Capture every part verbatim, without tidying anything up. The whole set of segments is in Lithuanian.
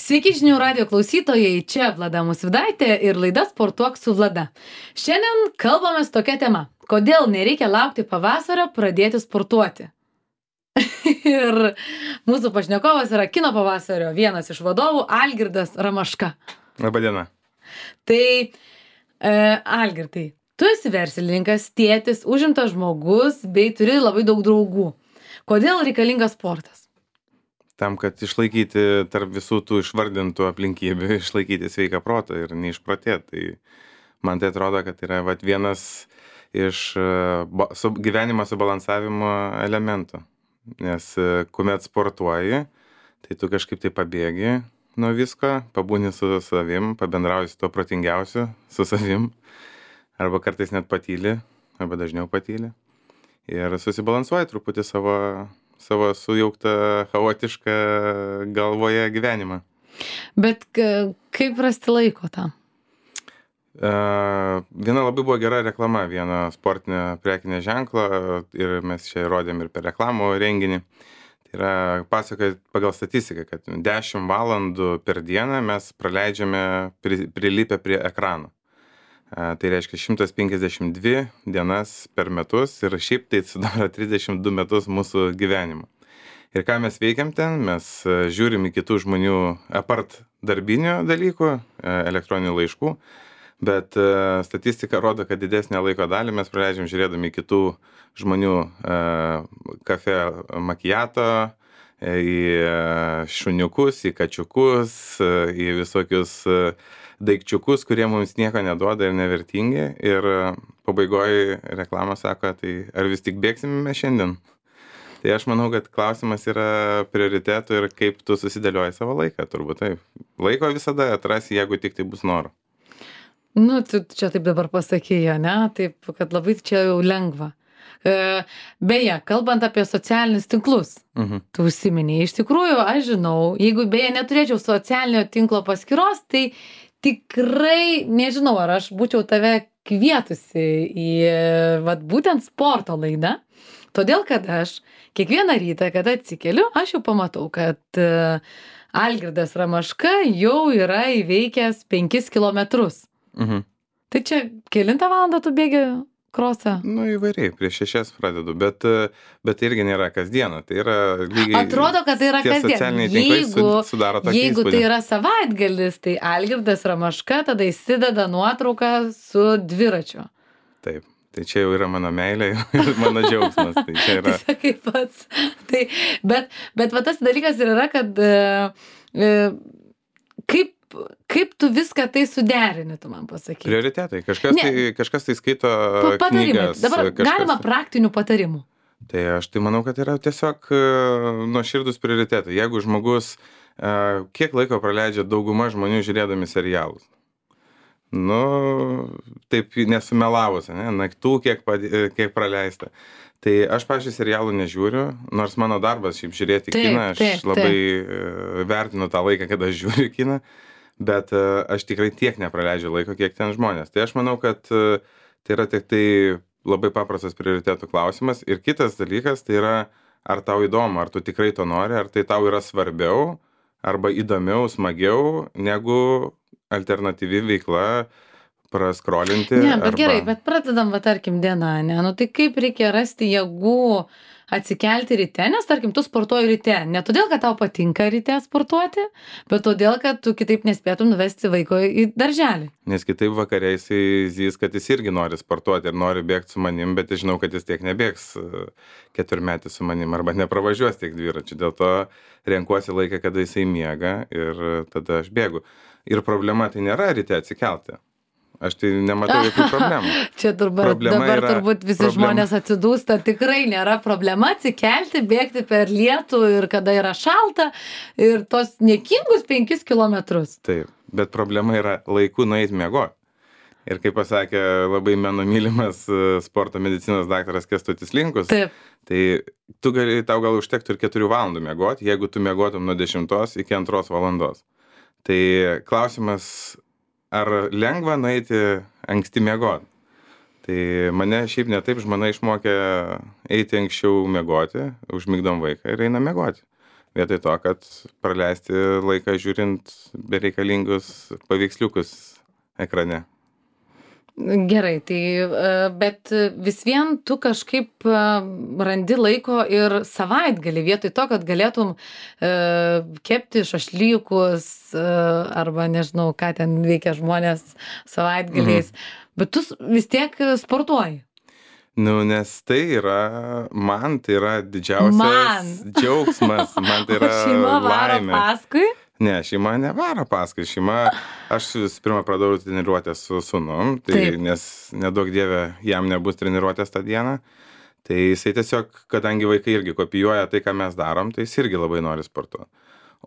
Sveiki žinių radijo klausytojai, čia Vlada Musvydaitė ir laida Sportuok su Vlada. Šiandien kalbamės tokia tema. Kodėl nereikia laukti pavasario pradėti sportuoti? Ir mūsų pašnekovas yra kino pavasario vienas iš vadovų Algirdas Ramaška. Labadiena. Tai e, Algirdai, tu esi verslininkas, tėtis, užimtas žmogus bei turi labai daug draugų. Kodėl reikalingas sportas? Tam, kad išlaikyti tarp visų tų išvardintų aplinkybių, išlaikyti sveiką protą ir neišprotėti. Tai man tai atrodo, kad yra vat, vienas iš uh, su, gyvenimo subalansavimo elementų. Nes uh, kuomet sportuoji, tai tu kažkaip tai pabėgi nuo visko, pabūni su savim, pabendrauji su tuo protingiausiu, su savim, arba kartais net patyli, arba dažniau patyli. Ir susibalansuoji truputį savo... savo sujauktą, chaotišką galvoje gyvenimą. Bet kaip rasti laiko tam? Uh, viena labai buvo gera reklama, vieno sportinio prekinio ženklo ir mes čia rodėm ir per reklamų renginį. Tai yra pasakoja pagal statistiką, kad dešimt valandų per dieną mes praleidžiame pri, prilipę prie ekranų. Uh, tai reiškia šimtas penkiasdešimt dvi dienas per metus ir šiaip tai sudaro trisdešimt du metus mūsų gyvenimo. Ir ką mes veikiam ten, mes uh, žiūrim į kitų žmonių apart darbinių dalykų, uh, elektroninių laiškų, bet uh, statistika rodo, kad didesnę laiko dalį mes praleidžiam žiūrėdami kitų žmonių uh, kafe makiato, į šuniukus, į kačiukus, į visokius daikčiukus, kurie mums nieko neduoda ir nevertingi. Ir pabaigoje reklama sako, tai ar vis tik bėgsime mes šiandien? Tai aš manau, kad klausimas yra prioritetų ir kaip tu susidėlioji savo laiką, turbūt taip. Laiko visada atrasi, jeigu tik tai bus noro. Nu, tu čia taip dabar pasakėjai, ne? Taip, kad labai čia jau lengva. Beje, kalbant apie socialinius tinklus, uh-huh. tu užsiminėjai, iš tikrųjų, aš žinau, jeigu beje neturėčiau socialinio tinklo paskyros, tai tikrai nežinau, ar aš būčiau tave kvietusi į vat, būtent sporto laidą, todėl kad aš kiekvieną rytą, kada atsikeliu, aš jau pamatau, kad Algirdas Ramaška jau yra įveikęs penkis kilometrus. Uh-huh. Tai čia kelintą valandą tu bėgi krosą? Nu, įvairiai, prieš šešias pradedu, bet, bet tai irgi nėra kasdieną, tai yra lygiai... Atrodo, kad tai yra kasdien. Jeigu, sudaro tokį jeigu įspūdį. Tai yra savaitgalis, tai Algirdas Ramaška tada įsideda nuotrauką su dviračiu. Taip, tai čia jau yra mano meilė ir mano džiaugsmas. Tai čia yra... tai sakai pats. Tai, bet, bet va tas dalykas ir yra, kad e, kaip Kaip tu viską tai suderini, tu man pasakyk. Prioritetai. Kažkas, tai, kažkas tai skaito knygas. Dabar kažkas... galima praktinių patarimų. Tai aš tai manau, kad yra tiesiog uh, nuoširdūs prioritetai. Jeigu žmogus, uh, kiek laiko praleidžia dauguma žmonių žiūrėdami serialus? Nu, taip nesumelavus, ne? Naktų kiek, kiek praleista. Tai aš, pavyzdžiui, serialų nežiūriu, nors mano darbas šiaip žiūrėti taip, kiną, aš taip, labai taip. vertinu tą laiką, kada aš žiūriu kiną, bet uh, aš tikrai tiek nepraleidžiu laiko, kiek ten žmonės. Tai aš manau, kad uh, tai yra tik tai labai paprastas prioritetų klausimas. Ir kitas dalykas, tai yra, ar tau įdomu, ar tu tikrai to nori, ar tai tau yra svarbiau, arba įdomiau, smagiau, negu alternatyvi veikla, praskrolinti. Ne, bet arba... gerai, bet pradedam, va, tarkim, dieną, ne? Nu, tai kaip reikia rasti jėgų atsikelti ryte, nes, tarkim, tu sportuoji ryte. Ne todėl, kad tau patinka ryte sportuoti, bet todėl, kad tu kitaip nespėtum nuvesti vaiko į darželį. Nes kitaip vakare jisai zys, kad jis irgi nori sportuoti ir nori bėgti su manim, bet aš žinau, kad jis tiek nebėgs keturmetį su manim arba nepravažiuos tiek dviračių. Dėl to renkuosi laiką, kada jisai miega ir tada aš bėgu. Ir problema tai nėra ryte atsikelti. Aš tai nematau jokių problemų. Čia turbūt, dabar yra, turbūt visi problema. Žmonės atsidūsta, tikrai nėra problema atsikelti, bėgti per lietų ir kada yra šalta ir tos niekingus penkis kilometrus. Taip, bet problema yra laiku nueiti miegoti. Ir kaip pasakė labai mano mylimas sporto medicinos daktaras Kęstutis Linkus, taip. Tai tu gali, tau gal užtektų ir keturių valandų miegoti, jeigu tu miegotum nuo dešimtos iki antros valandos. Tai klausimas, ar lengva nueiti anksti miegoti? Tai mane šiaip ne taip žmona išmokė eiti anksčiau miegoti, užmigdom vaiką ir eina miegoti. vietoj to, kad praleisti laiką žiūrint bereikalingus paveiksliukus ekrane. Gerai, tai bet vis vien tu kažkaip randi laiko ir savaitgalį, vietoj to, kad galėtum kepti šašlykus arba nežinau, ką ten veikia žmonės savaitgaliais, mhm. bet tu vis tiek sportuoji. Nu, nes tai yra, man tai yra didžiausias man. džiaugsmas, man tai yra laimė. Šeima varo paskui? Ne, šeima nevaro paskui, šeima, aš visų pirma pradėjau treniruotę su sūnum, tai Taip. nes nedaug dievė jam nebus treniruotės tą dieną, tai jisai tiesiog, kadangi vaikai irgi kopijuoja tai, ką mes darom, tai jis irgi labai nori sportuoti.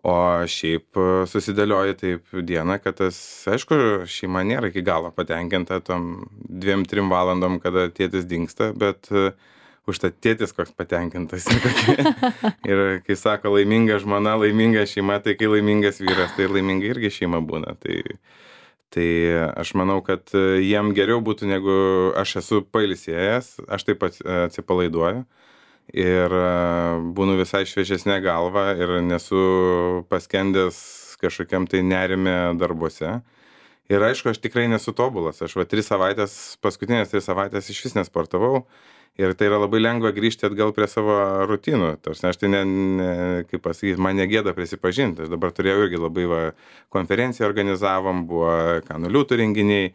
O šiaip susidėlioja taip dieną, kad tas, aišku, šeima nėra iki galo patenkinta tom dviem, trim valandom, kada tėtis dingsta, bet užtat tėtis koks patenkintas. Ir kai sako laiminga žmona, laiminga šeima, tai kai laimingas vyras, tai laiminga irgi šeima būna. Tai, tai aš manau, kad jiem geriau būtų, negu aš esu pailsėjęs, aš taip pat atsipalaiduoju. Ir būnu visai šviežesnė galva ir nesu paskendęs kažkokiam tai nerime darbuose. Ir aišku, aš tikrai nesu tobulas. Aš va tris savaitės, paskutinės tris savaitės iš vis nesportavau. Ir tai yra labai lengva grįžti atgal prie savo rutinų. Tarsi aš tai, ne, ne, kaip pasakyti, man negėda prisipažinti. Aš dabar turėjau irgi labai va, konferenciją organizavom, buvo kanuliūtų renginiai.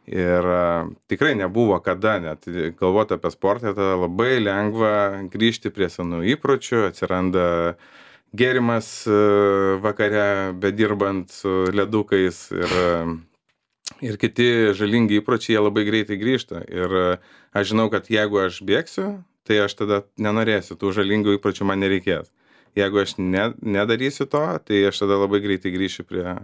Ir uh, tikrai nebuvo kada net galvoti apie sportą, tada labai lengva grįžti prie senų įpročių, atsiranda gėrimas uh, vakare, bedirbant su ledukais ir, uh, ir kiti žalingi įpročiai, jie labai greitai grįžta. Ir uh, aš žinau, kad jeigu aš bėgsiu, tai aš tada nenorėsiu, tų žalingų įpročių man nereikės. Jeigu aš ne, nedarysiu to, tai aš tada labai greitai grįšiu prie...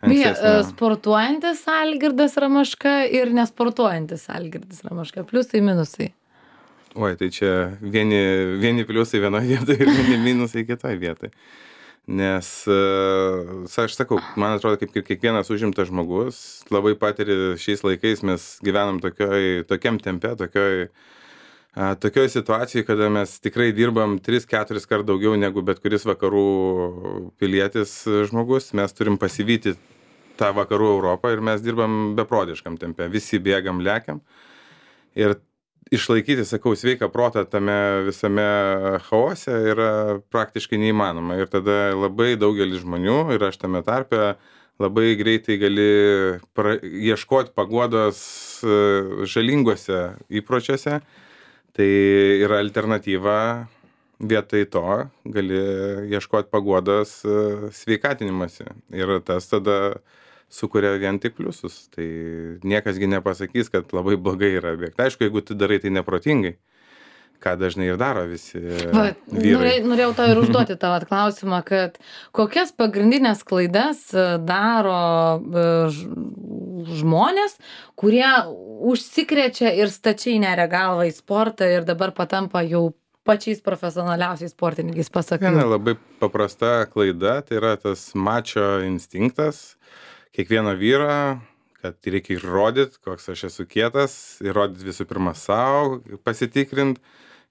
Beje, sportuojantis Algirdas Ramaška ir nesportuojantis Algirdas Ramaška, pliusai, minusai. Oi, tai čia vieni, vieni pliusai vienoje vietoje ir vieni minusai kitoje vietoje. Nes, aš sakau, man atrodo, kaip ir kiekvienas užimtas žmogus, labai patiri šiais laikais, mes gyvenam tokioj, tokiam tempe, tokioj, tokioj situacijai, kada mes tikrai dirbam tris keturis kart daugiau negu bet kuris vakarų pilietis žmogus. Mes turim pasivyti tą vakarų Europą ir mes dirbam beprotiškam tempe. Visi bėgam, lekiam. Ir išlaikyti, sakau, sveiką protą tame visame chaose yra praktiškai neįmanoma. Ir tada labai daugelis žmonių, ir aš tame tarpe, labai greitai gali pra... ieškoti paguodos žalinguose įpročiuose. Tai yra alternatyva, vietoj to gali ieškoti paguodos sveikatinimasi. Ir tas tada sukuria vien tik pliusus. Tai niekasgi nepasakys, kad labai blogai yra bėgti. Aišku, jeigu tu darai tai neprotingai, ką dažnai ir daro visi Va, vyrai. Norėjau tau ir užduoti tavo klausimą, kad kokias pagrindinės klaidas daro žmonės, kurie užsikrečia ir stačiai neria galvą į sportą ir dabar patampa jau pačiais profesionaliausiais sportininkais, pasakai. Viena labai paprasta klaida, tai yra tas mačo instinktas kiekvieno vyro, kad reikia įrodyti, koks aš esu kietas, įrodyti visų pirma savo, pasitikrinti,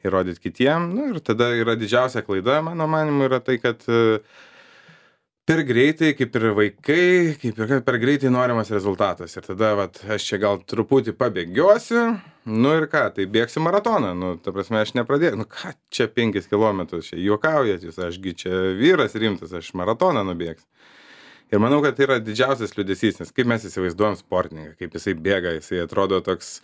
įrodyti kitiem. Nu, ir tada yra didžiausia klaida, mano manimu, yra tai, kad per greitai, kaip ir vaikai, kaip ir per greitai norimas rezultatas. Ir tada, vat, aš čia gal truputį pabėgiosiu, nu ir ką, tai bėgsiu maratoną. Nu, ta prasme, aš nepradėjau, nu ką, čia penkis kilometrus, čia juokaujat jūs, ašgi čia vyras rimtas, aš maratoną nubėgsiu. Ir manau, kad tai yra didžiausias liūdesys, nes kaip mes įsivaizduojam sportininką, kaip jisai bėga, jisai atrodo toks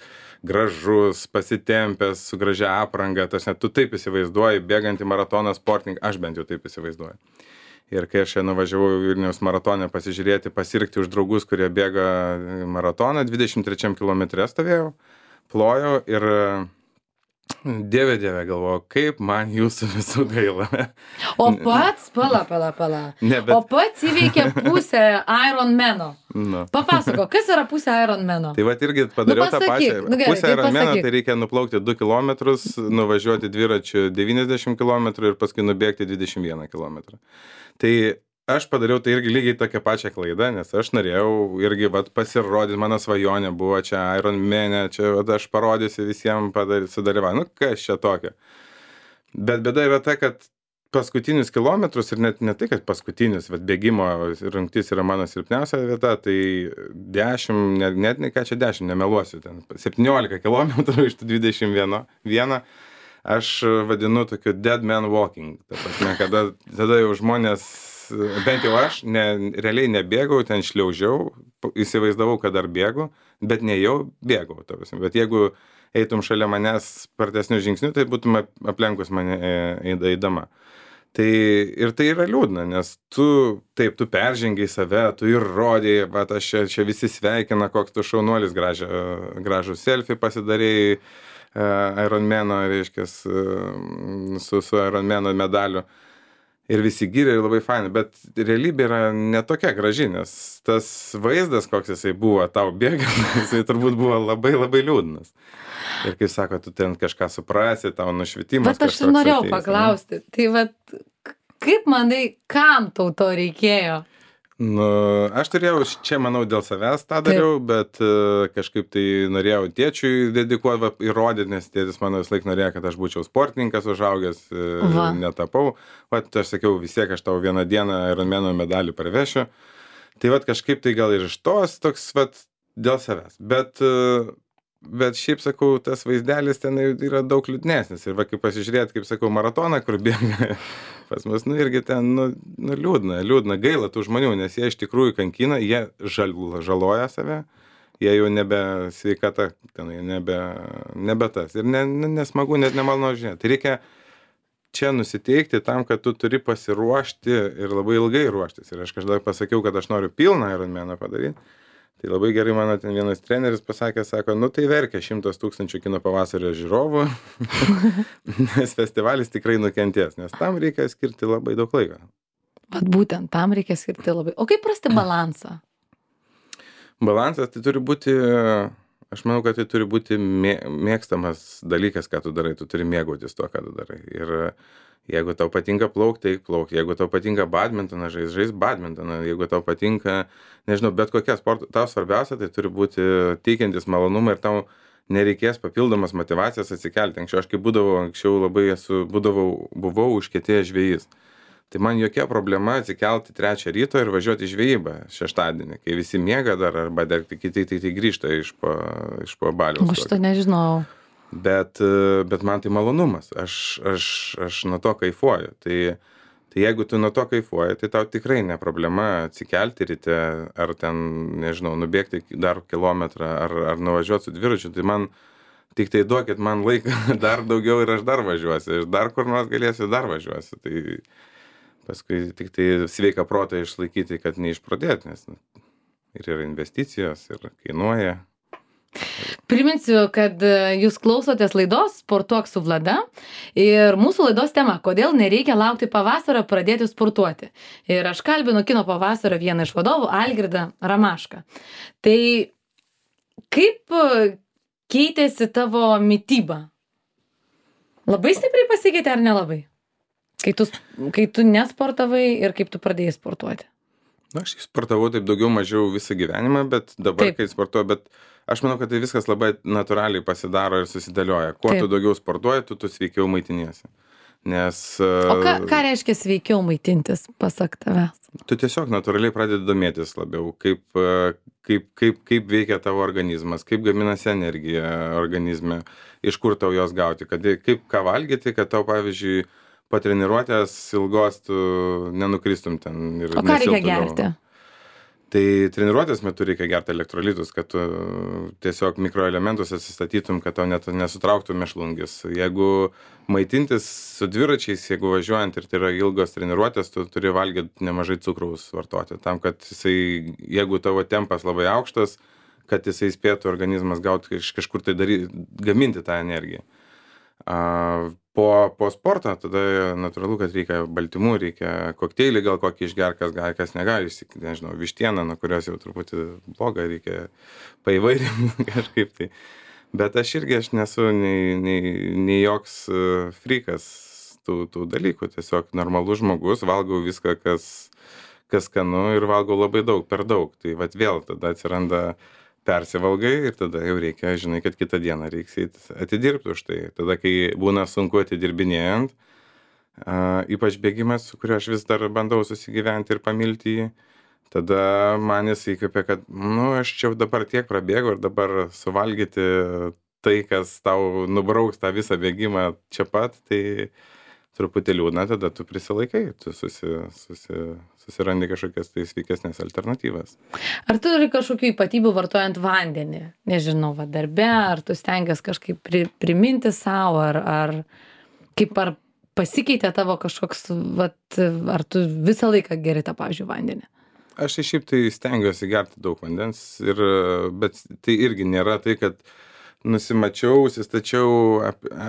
gražus, pasitempęs, su gražia apranga, tas net tu taip įsivaizduoji, bėgantį maratoną sportininką, aš bent jau taip įsivaizduoju. Ir kai aš nuvažiavau į Vilniaus maratoną pasižiūrėti, pasirgti už draugus, kurie bėga maratoną, dvidešimt trečiam kilometre stovėjau, plojau ir dieve, dieve, galvoju, kaip man jūsų visų gaila. O pats, pala, pala, pala. Ne, bet... O pats įveikė pusę Ironmano. No. Papasako, kas yra pusė Ironmano? Tai vat irgi padariau nu, tą pačią. Nu, gerai, pusę tai Ironmano, pasakyk. tai reikia nuplaukti du kilometrus, nuvažiuoti dviračiu devyniasdešimt kilometrų ir paskui nubėgti dvidešimt vieną kilometrą. Tai aš padariau tai irgi lygiai tokią pačią klaidą, nes aš norėjau irgi vat, pasirodyti, mano svajonė buvo čia Ironmane, čia vat, aš parodysiu visiems sudalyvauti. Nu, kas čia tokio. Bet bėda yra ta, kad paskutinius kilometrus ir net ne tai, kad paskutinius, bet bėgimo rungtis yra mano silpniausia vieta, tai dešimt, net, net ne ką čia dešimt, nemeluosiu, ten septyniolika kilometrų iš tų dvidešimt vieno, aš vadinu tokiu dead man walking. Ta prasme, kada, tada jau žmonės, bent jau aš, ne, realiai nebėgau, ten šliaužiau, įsivaizdavau, kad dar bėgu, bet ne jau bėgau. Ta prasme. Bet jeigu eitum šalia manęs spartesnių žingsnių, tai būtum aplenkus mane eidama. Tai ir tai yra liūdna, nes tu, taip, tu peržengiai save, tu ir rodėjai, bet aš čia, čia visi sveikina, koks tu šaunuolis, gražų, gražų selfie pasidarėjai uh, Ironmano, reiškia, uh, su, su Ironmano medaliu. Ir visi gyrė ir labai fainai, bet realybė yra netokia graži, nes tas vaizdas, koks jisai buvo tau bėgant, jisai turbūt buvo labai labai liūdnas. Ir kaip sako, tu ten kažką suprasi, tau nušvitimas. Bet aš ir norėjau ateis, paklausti, ne? Tai vat, kaip manai, kam tau to reikėjo? Nu, aš turėjau, čia manau dėl savęs tą dariau, Taip. bet uh, kažkaip tai norėjau tėčiui dedikuoti, įrodyti, nes tėtis mano vis laik norėjo, kad aš būčiau sportininkas užaugęs, uh, netapau. Vat aš sakiau, vis tiek aš tau vieną dieną Ironmano medalį parvešiu. Tai vat kažkaip tai gal ir iš tos toks vat dėl savęs. Bet... Uh, Bet šiaip, sakau, tas vaizdelis ten yra daug liūdnesnis. Ir va, kaip pasižiūrėt, kaip sakau, maratoną, kur bėga pas mus, nu irgi ten, nu, nu liūdna, liūdna, gaila tų žmonių, nes jie iš tikrųjų kankina, jie žal, žaloja save, jie jau nebe sveikata, ten, nebe, nebe tas. Ir ne, nesmagu, net nemalonu žiūrėti. Tai reikia čia nusiteikti tam, kad tu turi pasiruošti ir labai ilgai ruoštis. Ir aš kažkada pasakiau, kad aš noriu pilną Ironmaną padaryti. Tai labai gerai mano ten vienas treneris pasakė, sako, nu tai verkia šimtas tūkstančių kino pavasario žiūrovų, nes festivalis tikrai nukentės, nes tam reikia skirti labai daug laiko. Vat būtent tam reikia skirti labai. O kaip rasti balansą? Balansas tai turi būti, aš manau, kad tai turi būti mėgstamas dalykas, ką tu darai, tu turi mėgautis to, ką tu darai. Ir jeigu tau patinka plaukti, tai plauk. Jeigu tau patinka badmintoną, žais, žais badmintoną. Jeigu tau patinka, nežinau, bet kokia sporto, tau svarbiausia, tai turi būti teikiantis malonumą ir tau nereikės papildomas motyvacijas atsikelti. Anksčiau aš kaip būdavau, anksčiau labai esu, būdavau, buvau užkietėjęs žvejys. Tai man jokia problema atsikelti trečią ryto ir važiuoti į žvejybą šeštadienį, kai visi miega dar arba dar kiti tai, tai grįžta iš po, iš po baliaus. Aš to nežinau. Bet, bet man tai malonumas, aš, aš, aš nuo to kaifuoju. Tai, tai jeigu tu nuo to kaifuoji, tai tau tikrai ne problema atsikelti ryte, ar ten, nežinau, nubėgti dar kilometrą, ar, ar nuvažiuoti su dviračiu. Tai man tik tai duokit man laiką dar daugiau ir aš dar važiuosiu. Ir dar kur nors galėsiu, dar važiuosiu. Tai paskui tik tai sveiką protą išlaikyti, kad neišpradėti, nes ir yra investicijos, ir kainuoja. Priminsiu, kad jūs klausotės laidos Sportuok su Vlada ir mūsų laidos tema, kodėl nereikia laukti pavasario pradėti sportuoti. Ir aš kalbinu kino pavasario vieną iš vadovų, Algirdą Ramašką. Tai kaip keitėsi tavo mityba? Labai stipriai pasikeitė ar nelabai? Kai tu, kai tu nesportavai ir kaip tu pradėjai sportuoti? Na, aš sportavau taip daugiau mažiau visą gyvenimą, bet dabar, taip. Kai sportuoju, bet aš manau, kad tai viskas labai natūraliai pasidaro ir susidėlioja. Kuo Taip. Tu daugiau sportuoji, tu, tu sveikiau maitiniesi. Nes... O ką, ką reiškia sveikiau maitintis, pasak tavęs? Tu tiesiog natūraliai pradedi domėtis labiau, kaip, kaip, kaip, kaip veikia tavo organizmas, kaip gaminasi energija organizme, iš kur tau jos gauti, kad, kaip ką valgyti, kad tau, pavyzdžiui, po treniruotės ilgos tu nenukristum ten. Ir o ką reikia gerti? Tai treniruotės metu reikia gerti elektrolitus, kad tu tiesiog mikroelementus atsistatytum, kad tau net nesutrauktų mėšlungis. Jeigu maitintis su dviračiais, jeigu važiuojant ir tai yra ilgos treniruotės, tu turi valgyti nemažai cukraus vartoti. Tam, kad jisai, jeigu tavo tempas labai aukštas, kad jisai spėtų organizmas gauti iš kažkur tai daryti, gaminti tą energiją. A, po, po sporto tada natūralu, kad reikia baltymų, reikia kokteilį gal kokį išger, kas gali, kas negali, nežinau, vištieną, nuo kurios jau truputį bloga, reikia paįvairinti kažkaip tai. Bet aš irgi aš nesu nei, nei, nei joks frikas tų, tų dalykų, tiesiog normalus žmogus, valgau viską, kas, kas skanu ir valgau labai daug, per daug. Tai vat vėl tada atsiranda persivalgai ir tada jau reikia, žinai, kad kitą dieną reiks atidirbti už tai. Tada, kai būna sunku atidirbinėjant, a, ypač bėgimas, su kuriuo aš vis dar bandau susigyventi ir pamilti jį. Tada man jis įkvėpė, kad, nu, aš čia dabar tiek prabėgau ir dabar suvalgyti tai, kas tau nubrauks tą visą bėgimą čia pat, tai truputį liūdna, tada tu prisilaikai, tu susi, susi, susirandi kažkokias tai sveikesnės alternatyvas. Ar turi kažkokių ypatybių vartojant vandenį? Nežinau, va darbe, ar tu stengiasi kažkaip pri, priminti savo, ar, ar kaip ar pasikeitė tavo kažkoks, va, ar tu visą laiką geri tą, pavyzdžiui, vandenį? Aš šiaip tai stengiuosi gerti daug vandens, ir, bet tai irgi nėra tai, kad nusimačiau, užsistačiau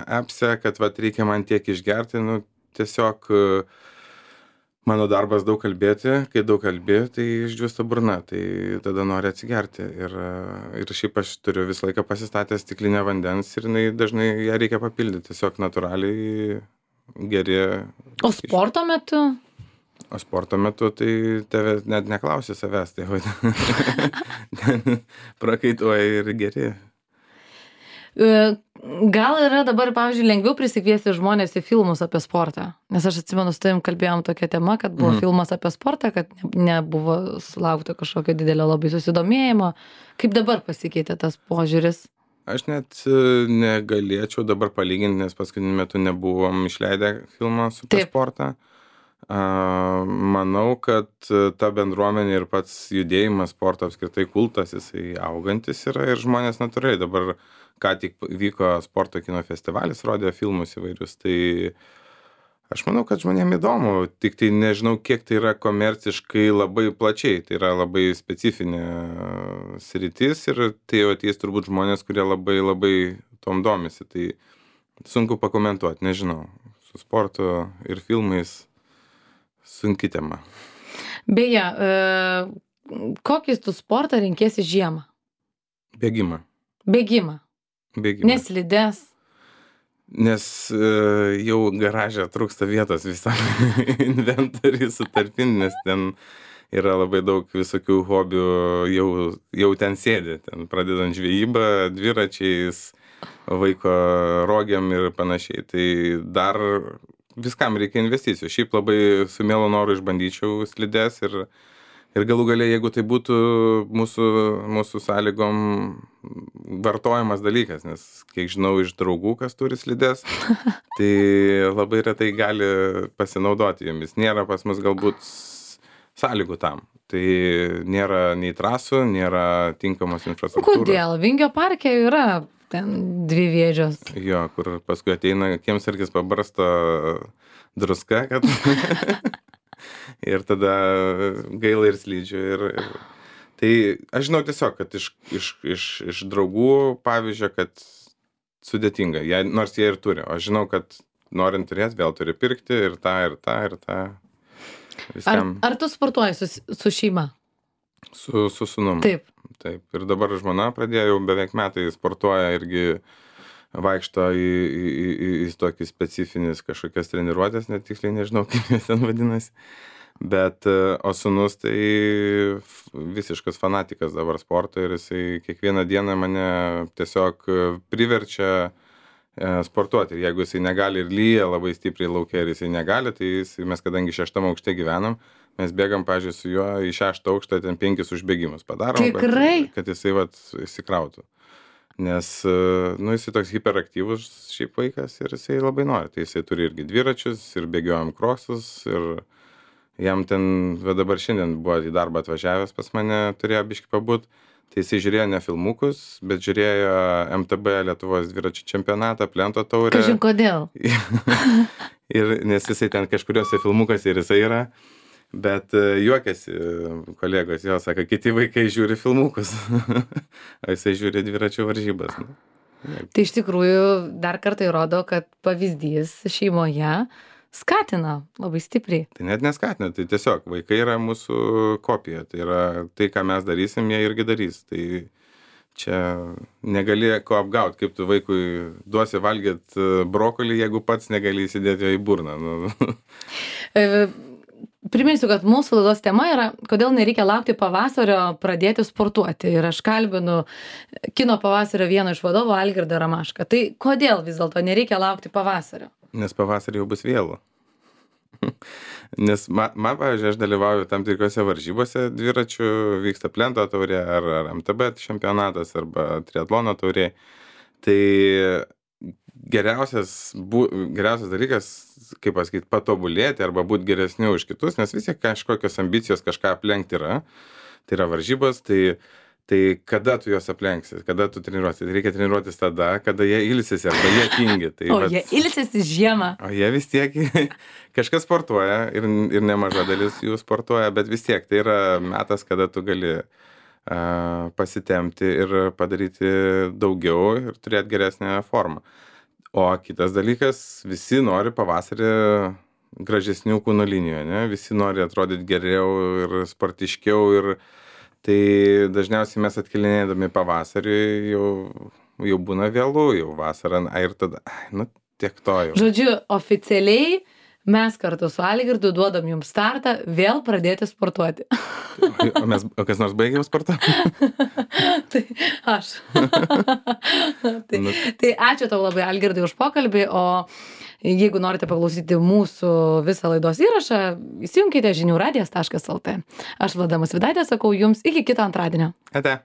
appse, kad vat, reikia man tiek išgerti. Nu, tiesiog mano darbas daug kalbėti, kai daug kalbė, tai išdžiūsta burna, tai tada nori atsigerti. Ir, ir šiaip aš turiu visą laiką pasistatęs stiklinę vandens ir jinai, dažnai ją reikia papildyti, tiesiog natūraliai geri. O sporto metu? O sporto metu tai tave net neklausi savęs, tai prakaituoja ir geri. Gal yra dabar, pavyzdžiui, lengviau prisikviesti žmonės į filmus apie sportą? Nes aš atsimenu, su tavim kalbėjom tokią temą, kad buvo mm. filmas apie sportą, kad nebuvo sulaukta kažkokio didelio labai susidomėjimo. Kaip dabar pasikeitė tas požiūris? Aš net negalėčiau dabar palyginti, nes paskutiniu metu nebuvom išleidę filmą su apie sportą. Uh, manau, kad ta bendruomenė ir pats judėjimas sporto apskritai kultas, jisai augantis yra ir žmonės natūraliai. Dabar ką tik vyko sporto kino festivalis, rodė filmus įvairius, tai aš manau, kad žmonėm įdomu, tik tai nežinau, kiek tai yra komerciškai labai plačiai, tai yra labai specifinė sritis ir tai jau ateis turbūt žmonės, kurie labai labai tom domisi, tai sunku pakomentuoti, nežinau, su sportu ir filmais. Sunki tema. Beje, e, kokį tu sportą renkėsi žiemą? Bėgimą. Bėgimą. Bėgimą. Neslidės. Nes e, jau garaže trūksta vietos visam inventoriui sutalpinti, nes ten yra labai daug visokių hobių, jau, jau ten sėdi, ten pradedant žvejybą, dviračiais, vaiko rogiam ir panašiai. Tai dar viskam reikia investicijų. Šiaip labai su mielu noru išbandyčiau slides ir, ir galų gale, jeigu tai būtų mūsų, mūsų sąlygom vartojamas dalykas, nes kiek žinau iš draugų, kas turi slides, tai labai retai gali pasinaudoti jomis. Nėra pas mus galbūt sąlygų tam. Tai nėra nei trasų, nėra tinkamos infrastruktūros. Kodėl? Vingio parke yra ten dvi vėžios. Jo, kur paskui ateina kiemsargis pabarsto druska, kad ir tada gaila ir slidžių. Ir, ir... Tai aš žinau tiesiog, kad iš, iš, iš, iš draugų pavyzdžio, kad sudėtinga, jie, nors jie ir turi. O aš žinau, kad norint turėti, vėl turi pirkti ir tą, ir tą, ir tą. Viskam... Ar, ar tu sportuoji su, su šeima? Su, su sūnum. Taip. Taip. Ir dabar žmona pradėjo, jau beveik metai sportuoja, irgi vaikšto į, į, į, į tokį specifinis kažkokias treniruotės, net tiksliai nežinau, kaip jis ten vadinasi. Bet, o sūnus tai visiškas fanatikas dabar sporto ir jisai kiekvieną dieną mane tiesiog priverčia sportuoti. Ir jeigu jisai negali ir lyja labai stipriai laukia ir jisai negali, tai jisai, mes kadangi šeštam aukšte gyvenam, mes bėgam, pavyzdžiui, su juo į šeštą aukštą, ten penkis užbėgimus padarom, Tikrai? kad, kad jisai vat įsikrautų. Nes, nu, jisai toks hiperaktyvus šiaip vaikas ir jisai labai nori. Tai jisai turi irgi dviračius ir bėgiojam kroksus ir jam ten, va dabar šiandien buvo į darbą atvažiavęs pas mane, turėjo biškį pabūt, tai jisai žiūrėjo ne filmukus, bet žiūrėjo M T B Lietuvos dviračių čempionatą, Plento taurę. Kažin kodėl? Ir nes jisai ten kažkuriuose filmukuose ir jisai yra. Bet juokiasi kolegos, jo sako, kiti vaikai žiūri filmukus, o jisai žiūri dviračių varžybas. Tai iš tikrųjų dar kartą įrodo, kad pavyzdys šeimoje skatina labai stipriai. Tai net neskatina, tai tiesiog vaikai yra mūsų kopija, tai yra tai, ką mes darysim, jie irgi darys. Tai čia negali ko apgauti, kaip tu vaikui duosi valgyti brokolį, jeigu pats negali įsidėti jo į burną. Nu. Priminsiu, kad mūsų laidos tema yra, kodėl nereikia laukti pavasario pradėti sportuoti. Ir aš kalbinu kino pavasario vieno iš vadovų Algirdą Ramašką. Tai kodėl vis dėlto nereikia laukti pavasario? Nes pavasarį jau bus vėlu. Nes ma man, pavyzdžiui, aš dalyvauju tam tikrose varžybose dviračių, vyksta Plento taurė ar ar M T B čempionatas arba triatlono taurė. Tai geriausias bu geriausias dalykas, kaip pasakyt, patobulėti arba būt geresniu už kitus, nes vis tiek kažkokios ambicijos kažką aplenkti yra. Tai yra varžybos, tai tai kada tu juos aplenksi, kada tu treniruosi? Tai reikia treniruotis tada, kada jie ilsisi arba jie tingi. Tai O vat, jie ilsisi žiemą. o jie vis tiek kažkas sportuoja ir, ir nemaža dalis jų sportuoja, bet vis tiek tai yra metas, kada tu gali uh, pasitemti ir padaryti daugiau ir turėti geresnę formą. O kitas dalykas, visi nori pavasarį gražesnių kūno linijų, ne? Visi nori atrodyti geriau ir sportiškiau ir tai dažniausiai mes atkelinėdami pavasarį jau, jau būna vėlu, jau vasarą, ai, ir tada, ai, nu, tiek to jau. Žodžiu, oficialiai mes kartu su Algirdu duodam jums startą vėl pradėti sportuoti. O, mes, o kas nors baigėm sportuoti? Tai aš. tai, Nu. tai ačiū tau labai, Algirdai, už pokalbį, o jeigu norite paklausyti mūsų visą laidos įrašą, įsijunkite žinių radijas taškas lt. Aš Vlada Musvydaitė sakau jums iki kito antradienio. Ate.